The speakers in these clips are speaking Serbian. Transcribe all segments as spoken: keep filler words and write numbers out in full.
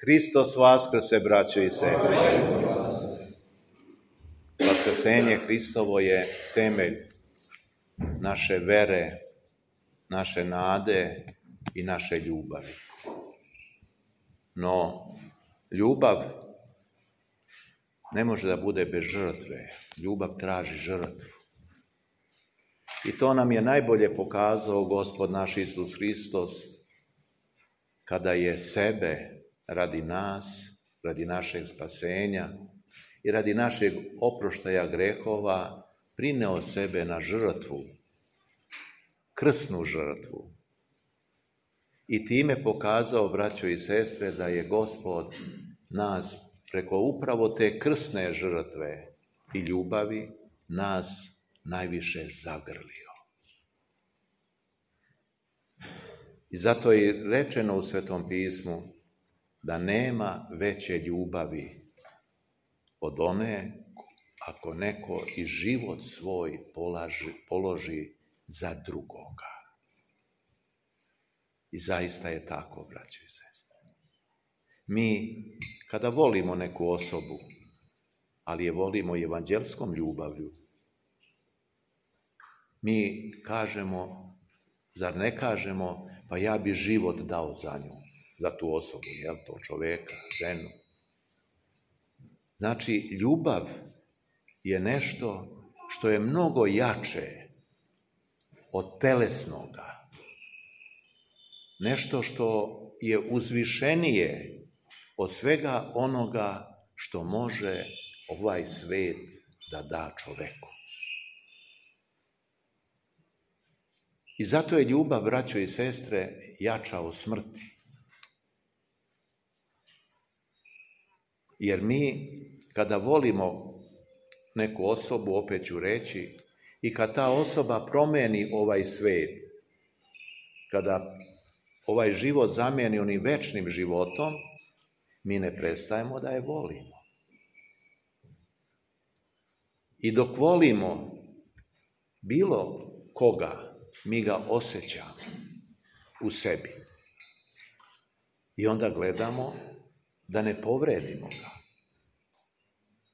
Hristos vaskrse, braćo i sestre. Vaskrsenje Hristovo je temelj naše vere, naše nade i naše ljubavi. No, ljubav ne može da bude bez žrtve. Ljubav traži žrtvu. I to nam je najbolje pokazao Gospod naš Isus Hristos kada je sebe radi nas, radi našeg spasenja i radi našeg oproštaja grehova prineo sebe na žrtvu, krsnu žrtvu. I time pokazao, braćo i sestre, da je Gospod nas preko upravo te krsne žrtve i ljubavi nas najviše zagrlio. I zato je rečeno u Svetom pismu da nema veće ljubavi od one ako neko i život svoj polaži, položi za drugoga. I zaista je tako, braćo i sestre. Mi, kada volimo neku osobu, ali je volimo evanđelskom ljubavlju, mi kažemo, zar ne kažemo, pa ja bi život dao za nju, za tu osobu, jel, to čoveka, ženu. Znači, ljubav je nešto što je mnogo jače od telesnoga. Nešto što je uzvišenije od svega onoga što može ovaj svet da da čoveku. I zato je ljubav, braćo i sestre, jača od smrti. Jer mi, kada volimo neku osobu, opet ću reći, i kad ta osoba promeni ovaj svet, kada ovaj život zamijeni onim večnim životom, mi ne prestajemo da je volimo. I dok volimo bilo koga, mi ga osjećamo u sebi. I onda gledamo da ne povredimo ga.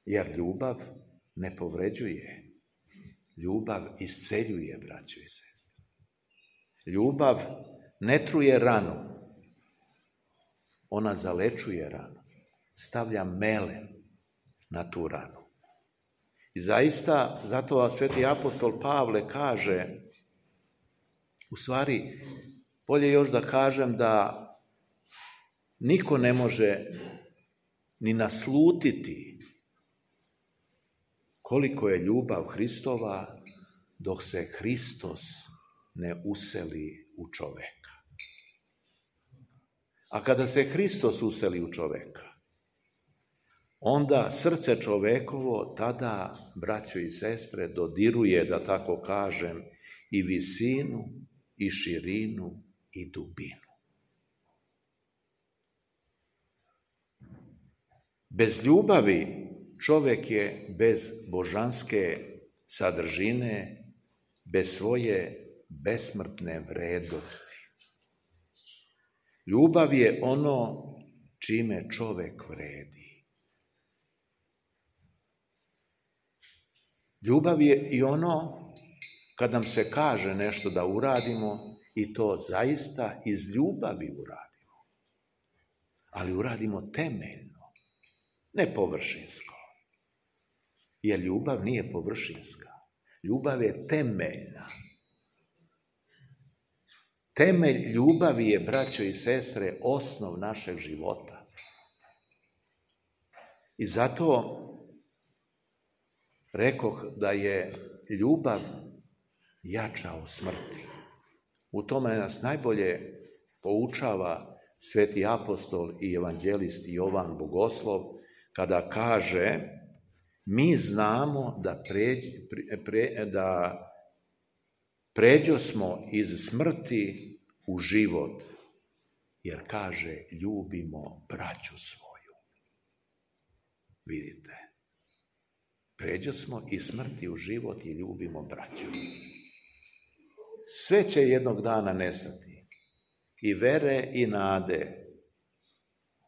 Jer ljubav ne povređuje. Ljubav isceljuje, braćo i sestre. Ljubav ne truje ranu. Ona zalečuje ranu. Stavlja melem na tu ranu. I zaista, zato sveti apostol Pavle kaže, u stvari, bolje još da kažem da niko ne može ni naslutiti koliko je ljubav Hristova dok se Hristos ne useli u čoveka. A kada se Hristos useli u čoveka, onda srce čovekovo tada, braćo i sestre, dodiruje, da tako kažem, i visinu, i širinu, i dubinu. Bez ljubavi čovjek je bez božanske sadržine, bez svoje besmrtne vrednosti. Ljubav je ono čime čovjek vredi. Ljubav je i ono kad nam se kaže nešto da uradimo i to zaista iz ljubavi uradimo. Ali uradimo temeljno, ne površinsko. Jer ljubav nije površinska. Ljubav je temeljna. Temelj ljubavi je, braćo i sestre, osnov našeg života. I zato rekoh da je ljubav jača od smrti. U tome nas najbolje poučava sveti apostol i evanđelist Jovan Bogoslov, kada kaže, mi znamo da, pređ, pre, pre, da pređo smo iz smrti u život, jer kaže, ljubimo braću svoju. Vidite, Pređosmo iz smrti u život i ljubimo braću. Sve će jednog dana nestati. I vere i nade.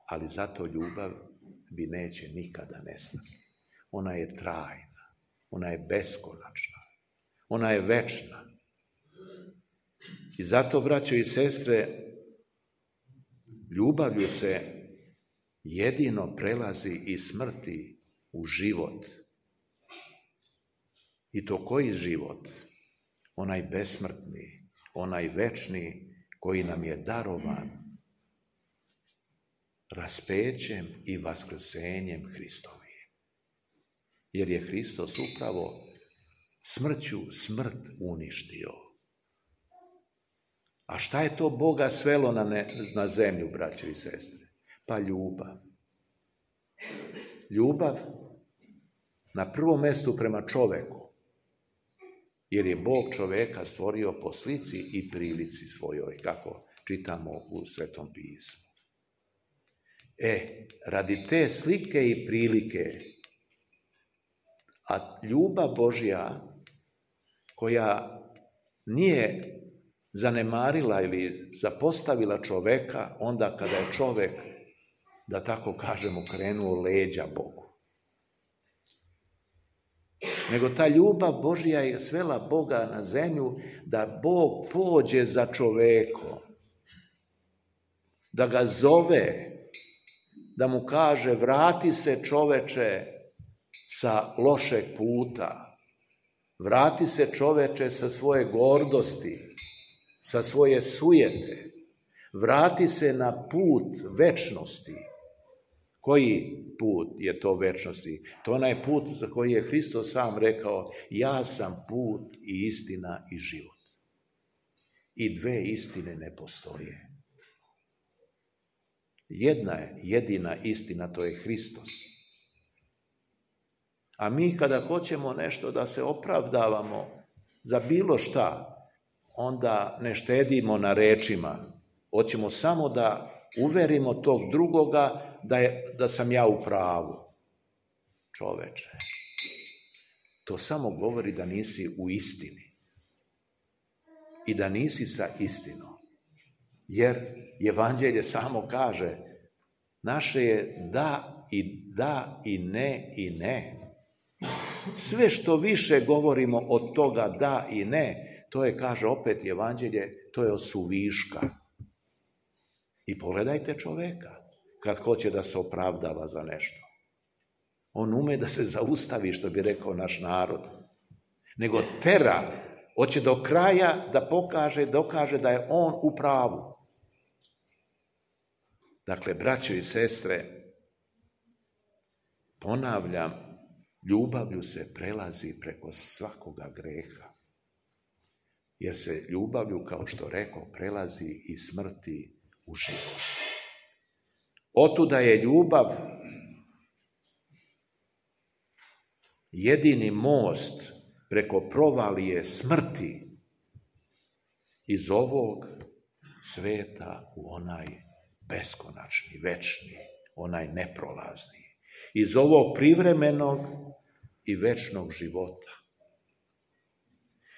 Ali zato ljubav bi neće nikada nestati. Ona je trajna. Ona je beskonačna. Ona je večna. I zato, braćo i sestre, ljubavlju se jedino prelazi iz smrti u život. I to koji život? Onaj besmrtni, onaj večni koji nam je darovan raspećem i vaskrsenjem Hristovim. Jer je Hristos upravo smrću smrt uništio. A šta je to Boga svelo na, ne, na zemlju, braćo i sestre? Pa ljubav. Ljubav na prvom mjestu prema čoveku. Jer je Bog čoveka stvorio po slici i prilici svojoj, kako čitamo u Svetom pismu. E, radi te slike i prilike, a ljubav Božja, koja nije zanemarila ili zapostavila čoveka onda kada je čovek, da tako kažemo, krenuo leđa Bogu. Nego ta ljubav Božja je svela Boga na zemlju da Bog pođe za čovekom, da ga zove, da mu kaže vrati se čoveče sa lošeg puta, vrati se čoveče sa svoje gordosti, sa svoje sujete, vrati se na put večnosti. Koji put je to večnosti? To je onaj put za koji je Hristos sam rekao, ja sam put i istina i život. I dve istine ne postoje. Jedna je jedina istina, to je Hristos. A mi kada hoćemo nešto da se opravdavamo za bilo šta, onda ne štedimo na rečima. Hoćemo samo da uverimo tog drugoga da, je, da sam ja u pravu. Čoveče, to samo govori da nisi u istini. I da nisi sa istinom. Jer Evanđelje samo kaže, naše je da i da i ne i ne. Sve što više govorimo od toga da i ne, to je, kaže opet Evanđelje, to je od suviška. I pogledajte čoveka kad hoće da se opravdava za nešto. On ume da se zaustavi, što bi rekao naš narod. Nego tera, hoće do kraja da pokaže, dokaže da je on u pravu. Dakle, braćo i sestre, ponavljam, ljubavlju se prelazi preko svakoga greha. Jer se ljubavlju, kao što rekao, prelazi iz smrti u život. Otuda je ljubav jedini most preko provalije smrti iz ovog sveta u onaj beskonačni, večni, onaj neprolazni. Iz ovog privremenog i večnog života.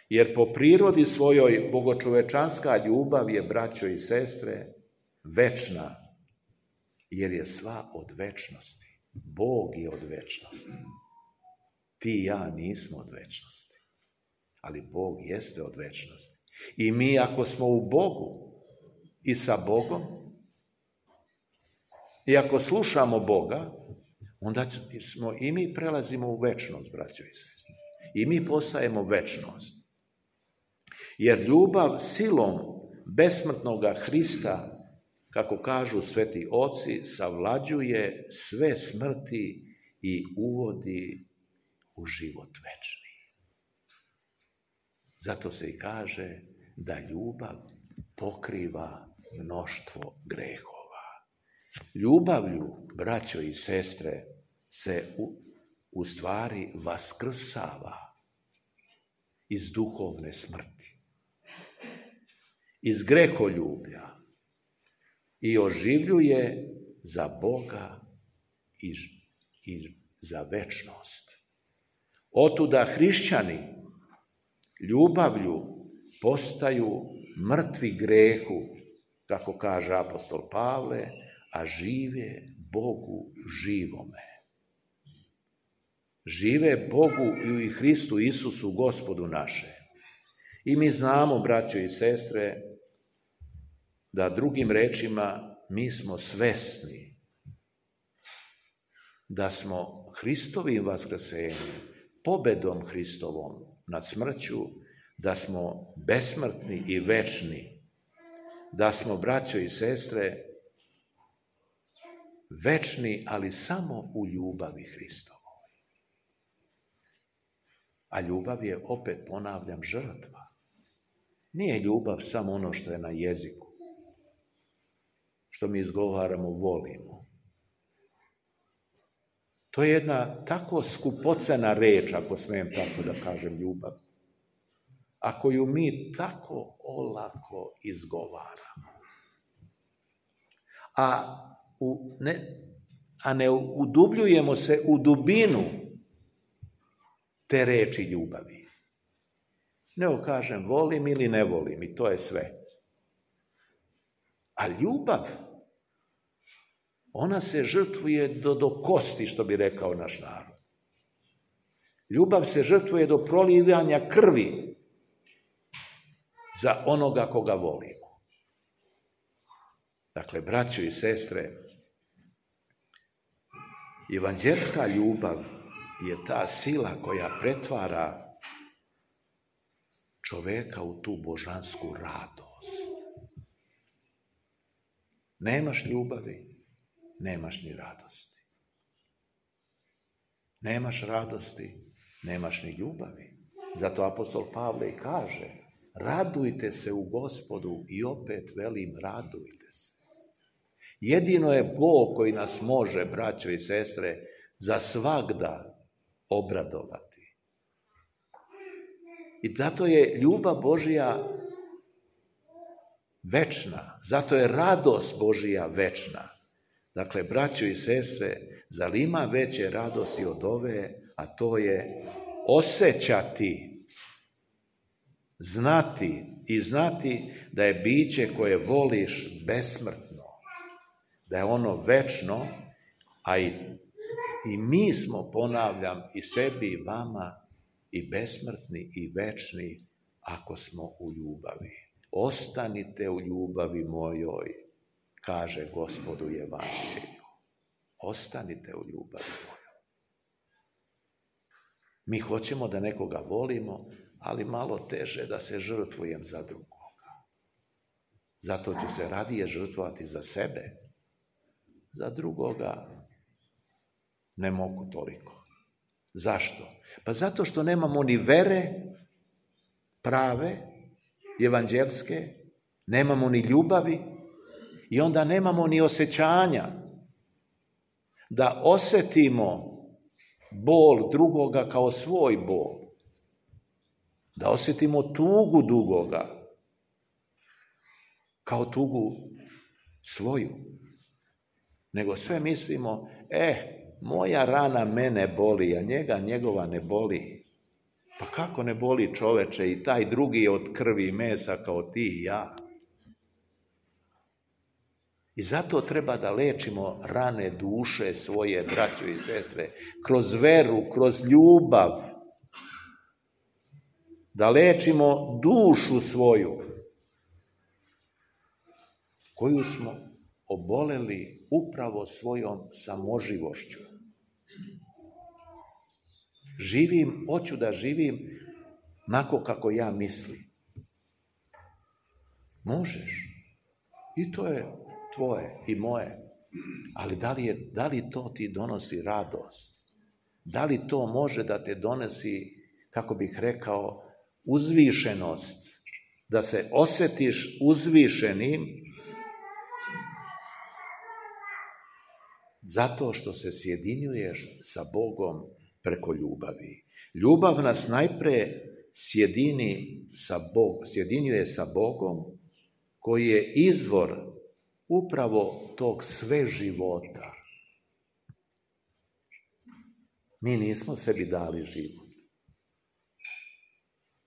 Jer po prirodi svojoj bogočovečanska ljubav je, braćo i sestre, večna, jer je sva od večnosti. Bog je od večnosti. Ti i ja nismo od večnosti, ali Bog jeste od večnosti. I mi ako smo u Bogu i sa Bogom, i ako slušamo Boga, onda smo i mi prelazimo u večnost, braćo i sestre. I mi postajemo večnost. Jer ljubav silom besmrtnoga Hrista, kako kažu sveti oci, savlađuje sve smrti i uvodi u život večni. Zato se i kaže da ljubav pokriva mnoštvo grehova. Ljubavlju, braćo i sestre, se u, u stvari vaskrsava iz duhovne smrti, iz greholjublja i oživljuje za Boga i, i za večnost. Otuda hrišćani ljubavlju postaju mrtvi grehu, kako kaže apostol Pavle, a žive Bogu živome. Žive Bogu i Hristu Isusu, Gospodu naše. I mi znamo, braćo i sestre, da drugim rečima mi smo svesni da smo Hristovim vaskrsenjem, pobedom Hristovom nad smrću, da smo besmrtni i večni, da smo, braćo i sestre, večni, ali samo u ljubavi Hristovoj. A ljubav je, opet ponavljam, žrtva. Nije ljubav samo ono što je na jeziku, što mi izgovaramo, volimo. To je jedna tako skupocena reč, ako smijem tako da kažem, ljubav, a koju mi tako olako izgovaramo. A, u, ne, a ne udubljujemo se u dubinu te reči ljubavi. Nego kažem volim ili ne volim i to je sve. A ljubav, ona se žrtvuje do, do kosti, što bi rekao naš narod. Ljubav se žrtvuje do prolivanja krvi za onoga koga volimo. Dakle, braćo i sestre, evanđelska ljubav je ta sila koja pretvara čoveka u tu božansku radost. Nemaš ljubavi, nemaš ni radosti. Nemaš radosti, nemaš ni ljubavi. Zato apostol Pavle i kaže, radujte se u Gospodu, i opet velim, radujte se. Jedino je Bog koji nas može, braćo i sestre, za svagda obradovati. I zato je ljubav Božja večna, zato je radost Božja večna. Dakle, braćo i sestre, zar ima veće radosti od ove, a to je osjećati, znati i znati da je biće koje voliš besmrtno, da je ono večno, a i, i mi smo, ponavljam, i sebi i vama i besmrtni i večni ako smo u ljubavi. Ostanite u ljubavi mojoj, kaže Gospod u Evanđelju. Ostanite u ljubavi mojoj. Mi hoćemo da nekoga volimo, ali malo teže da se žrtvujem za drugoga. Zato ću se radije žrtvovati za sebe. Za drugoga ne mogu toliko. Zašto? Pa zato što nemamo ni vere prave, evanđelske, nemamo ni ljubavi i onda nemamo ni osjećanja da osjetimo bol drugoga kao svoj bol. Da osjetimo tugu drugoga kao tugu svoju. Nego sve mislimo, eh, moja rana mene boli, a njega njegova ne boli. Pa kako ne boli, čoveče, i taj drugi je od krvi i mesa kao ti i ja. I zato treba da lečimo rane duše svoje, braćo i sestre, kroz veru, kroz ljubav. Da lečimo dušu svoju, koju smo oboleli upravo svojom samoživošću. Živim, hoću da živim onako kako ja mislim. Možeš. I to je tvoje i moje. Ali da li, je, da li to ti donosi radost? Da li to može da te donosi, kako bih rekao, uzvišenost? Da se osjetiš uzvišenim zato što se sjedinjuješ sa Bogom preko ljubavi. Ljubav nas najpre sjedini sa Bog, sjedinjuje sa Bogom, koji je izvor upravo tog sve života. Mi nismo sebi dali život.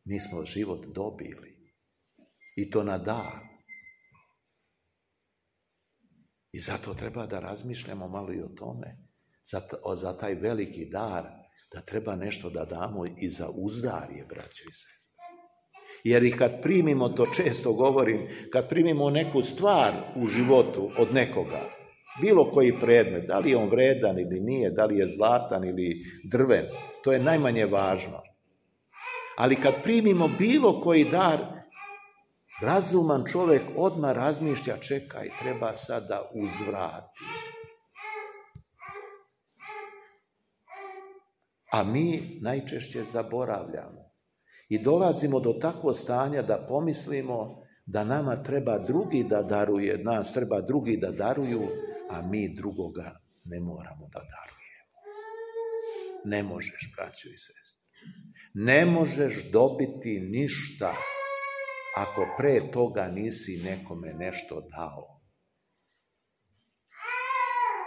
Mi smo život dobili. I to na dar. I zato treba da razmišljamo malo i o tome. Za, za taj veliki dar, da treba nešto da damo i za uzdarje, braćo i sestre. Jer i kad primimo, to često govorim, kad primimo neku stvar u životu od nekoga, bilo koji predmet, da li je on vredan ili nije, da li je zlatan ili drven, to je najmanje važno. Ali kad primimo bilo koji dar, razuman čovjek odmah razmišlja, čekaj, treba sad da uzvrati. A mi najčešće zaboravljamo. I dolazimo do takvog stanja da pomislimo da nama treba drugi da daruje, nas treba drugi da daruju, a mi drugoga ne moramo da darujemo. Ne možeš, braćo i sestre. Ne možeš dobiti ništa ako pre toga nisi nekome nešto dao.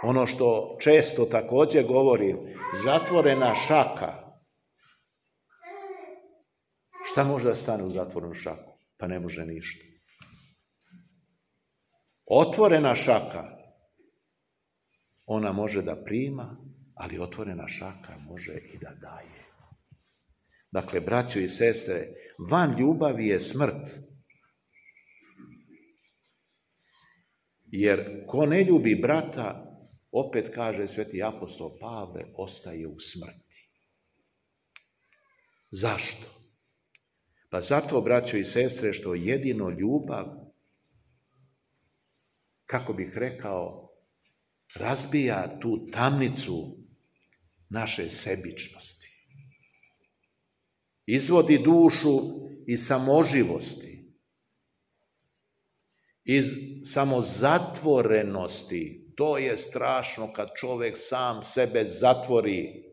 Ono što često također govorim, zatvorena šaka. Šta može da stane u zatvorenu šaku? Pa ne može ništa. Otvorena šaka, ona može da prima, ali otvorena šaka može i da daje. Dakle, braćo i sestre, van ljubavi je smrt. Jer ko ne ljubi brata, opet kaže sveti apostol Pavle, ostaje u smrti. Zašto? Pa zato, braćo i sestre, što jedino ljubav, kako bih rekao, razbija tu tamnicu naše sebičnosti. Izvodi dušu iz samoživosti, iz samozatvorenosti. To je strašno kad čovjek sam sebe zatvori.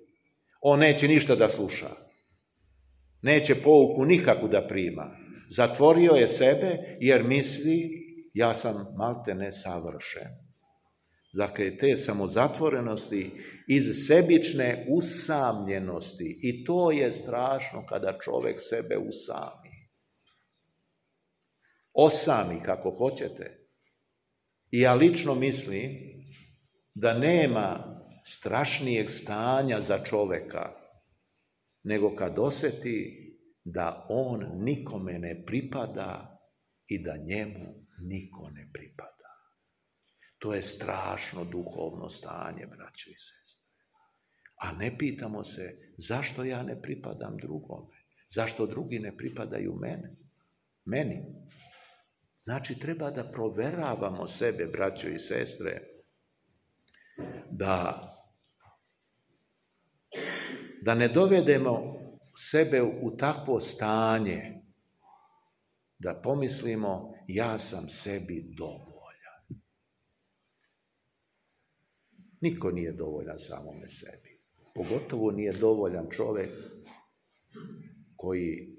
On neće ništa da sluša. Neće pouku nikakvu da prima. Zatvorio je sebe jer misli, ja sam malte ne savršen. Dakle, te samozatvorenosti iz sebične usamljenosti. I to je strašno kada čovjek sebe usami. Osami, kako hoćete. I ja lično mislim da nema strašnijeg stanja za čovjeka nego kad osjeti da on nikome ne pripada i da njemu niko ne pripada. To je strašno duhovno stanje, braćo i sestre. A ne pitamo se zašto ja ne pripadam drugome, zašto drugi ne pripadaju mene, meni. Znači, treba da proveravamo sebe, braćo i sestre, da, da ne dovedemo sebe u takvo stanje, da pomislimo, ja sam sebi dovoljan. Niko nije dovoljan samome sebi. Pogotovo nije dovoljan čovjek koji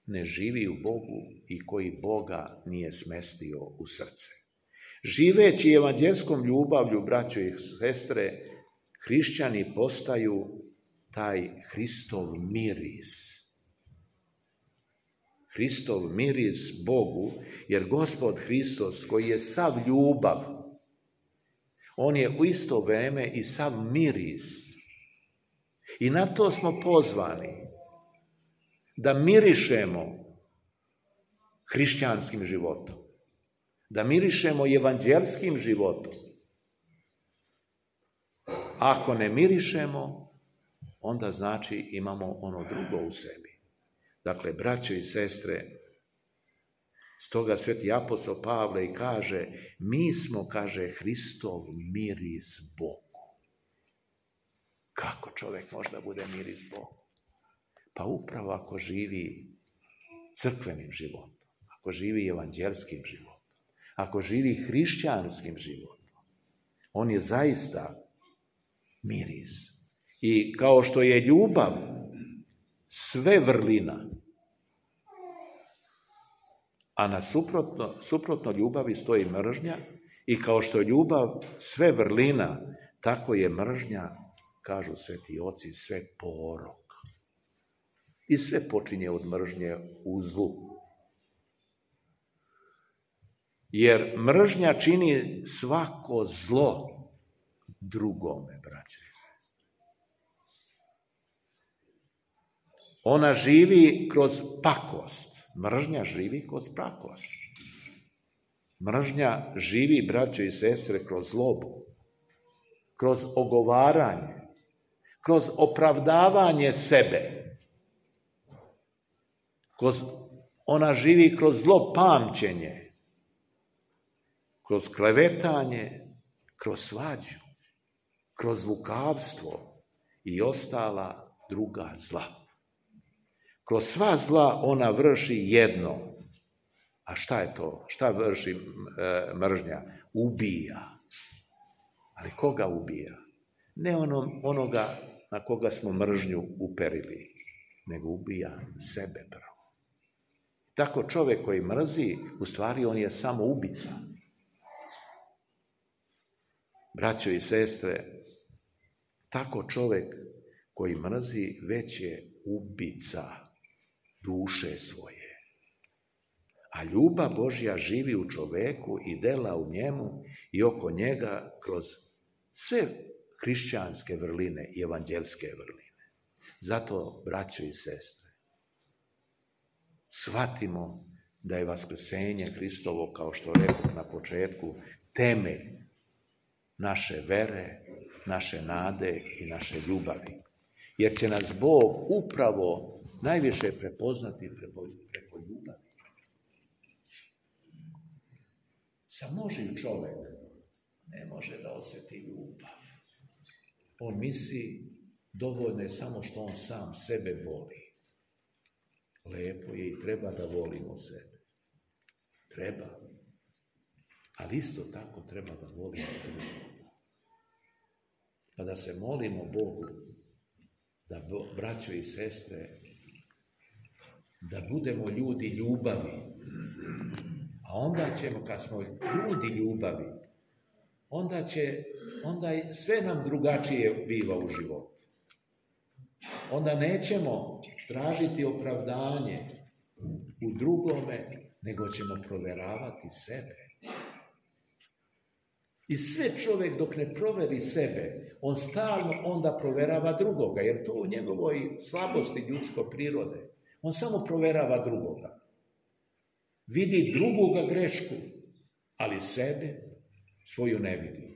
ne živi u Bogu i koji Boga nije smestio u srce. Živeći evanđelskom ljubavlju, braćo i sestre, hrišćani postaju taj Hristov miris. Hristov miris Bogu, jer Gospod Hristos, koji je sav ljubav, on je u isto vrijeme i sav miris. I na to smo pozvani, da mirišemo hrišćanskim životom, da mirišemo evanđelskim životom. Ako ne mirišemo, onda znači imamo ono drugo u sebi. Dakle, braćo i sestre, stoga sveti apostol Pavle i kaže, mi smo, kaže, Hristov miris Bogu. Kako čovjek može da bude miris Bogu? Pa upravo ako živi crkvenim životom, ako živi evanđelskim životom, ako živi hrišćanskim životom, on je zaista miris. I kao što je ljubav sve vrlina, a na suprotno, suprotno ljubavi stoji mržnja, i kao što je ljubav sve vrlina, tako je mržnja, kažu sveti oci, sve porok. I sve počinje od mržnje u zlu. Jer mržnja čini svako zlo drugome, braće i sestre. Ona živi kroz pakost. Mržnja živi kroz pakost. Mržnja živi, braće i sestre, kroz zlobu, kroz ogovaranje, kroz opravdavanje sebe. Kroz, ona živi kroz zlo pamćenje, kroz klevetanje, kroz svađu, kroz lukavstvo i ostala druga zla. Kroz sva zla ona vrši jedno. A šta je to? Šta vrši e, mržnja? Ubija. Ali koga ubija? Ne ono, onoga na koga smo mržnju uperili, nego ubija sebe prvo. Tako čovjek koji mrzi, u stvari on je samo ubica. Braćo i sestre, tako čovjek koji mrzi već je ubica duše svoje. A ljubav Božja živi u čovjeku i dela u njemu i oko njega kroz sve hrišćanske vrline i evanđelske vrline. Zato, braćo i sestre, shvatimo da je vaskrsenje Hristovo, kao što rekoh na početku, temelj naše vere, naše nade i naše ljubavi. Jer će nas Bog upravo najviše prepoznati preko, preko ljubavi. Samoživ čovjek ne može da osjeti ljubav. On misli dovoljno je samo što on sam sebe voli. Lepo je i treba da volimo sebe. Treba. Ali isto tako treba da volimo drugoga. Pa da se molimo Bogu da, braćo i sestre, da budemo ljudi ljubavi. A onda ćemo, kad smo ljudi ljubavi, onda će, onda sve nam drugačije biva u životu. Onda nećemo tražiti opravdanje u drugome, nego ćemo provjeravati sebe. I sve čovjek dok ne proveri sebe, on stalno onda provjerava drugoga, jer to u njegovoj slabosti ljudsko prirode. On samo provjerava drugoga. Vidi drugoga grešku, ali sebe svoju ne vidi.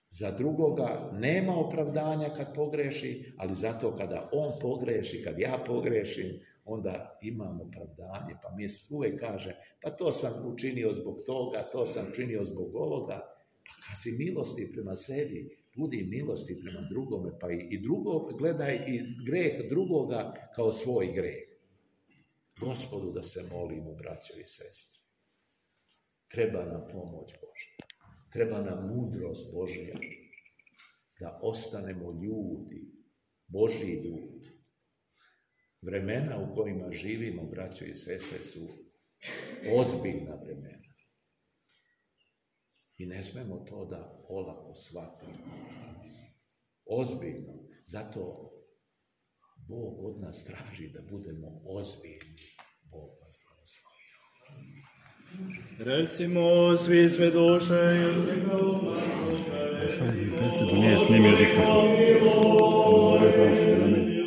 Za drugoga nema opravdanja kad pogreši, ali zato kada on pogreši, kad ja pogrešim, onda imam opravdanje. Pa mi uvijek kaže, pa to sam učinio zbog toga, to sam učinio zbog ovoga. Pa kad si milosti prema sebi, budi milosti prema drugome, pa i drugo, gledaj i greh drugoga kao svoj greh. Gospodu da se molimo, braćo i sestre. Treba nam pomoć Božja. Treba nam mudrost Božja. Da ostanemo ljudi, Božji ljudi. Vremena u kojima živimo, braćo i sestre, su ozbiljna vremena. I ne smemo to da olako shvatimo. Ozbiljno. Zato Bog od nas traži da budemo ozbiljni. Bog vas blagoslovio. Recimo svi sve duše i svega uma slušaj. Sad bi besedu nije snimio diktafon.